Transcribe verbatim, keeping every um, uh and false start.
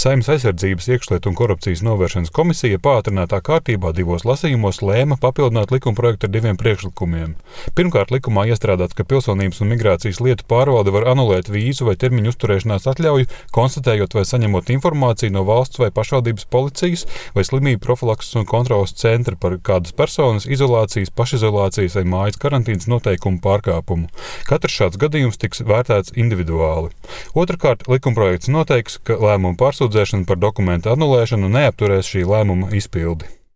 Saeimas aizsardzības, iekšlietu un korupcijas novēršanas komisija pātrinātā kārtībā divos lasījumos lēma papildināt likumprojektu ar diviem priekšlikumiem. Pirmkārt, likumā iestrādāts, ka pilsonības un migrācijas lietu pārvalde var anulēt vīzu vai termiņu uzturēšanās atļauju, konstatējot vai saņemot informāciju no valsts vai pašvaldības policijas vai slimību profilakses un kontroles centra par kādas personas izolācijas, pašizolācijas vai mājas karantīnas noteikumu pārkāpumu. Katrs šāds gadījums tiks vērtēts individuāli. Otrakārt, likumprojekts noteiks, ka lēmumu pārsūdzēšana par dokumentu anulēšanu neapturēs šī lēmuma izpildi.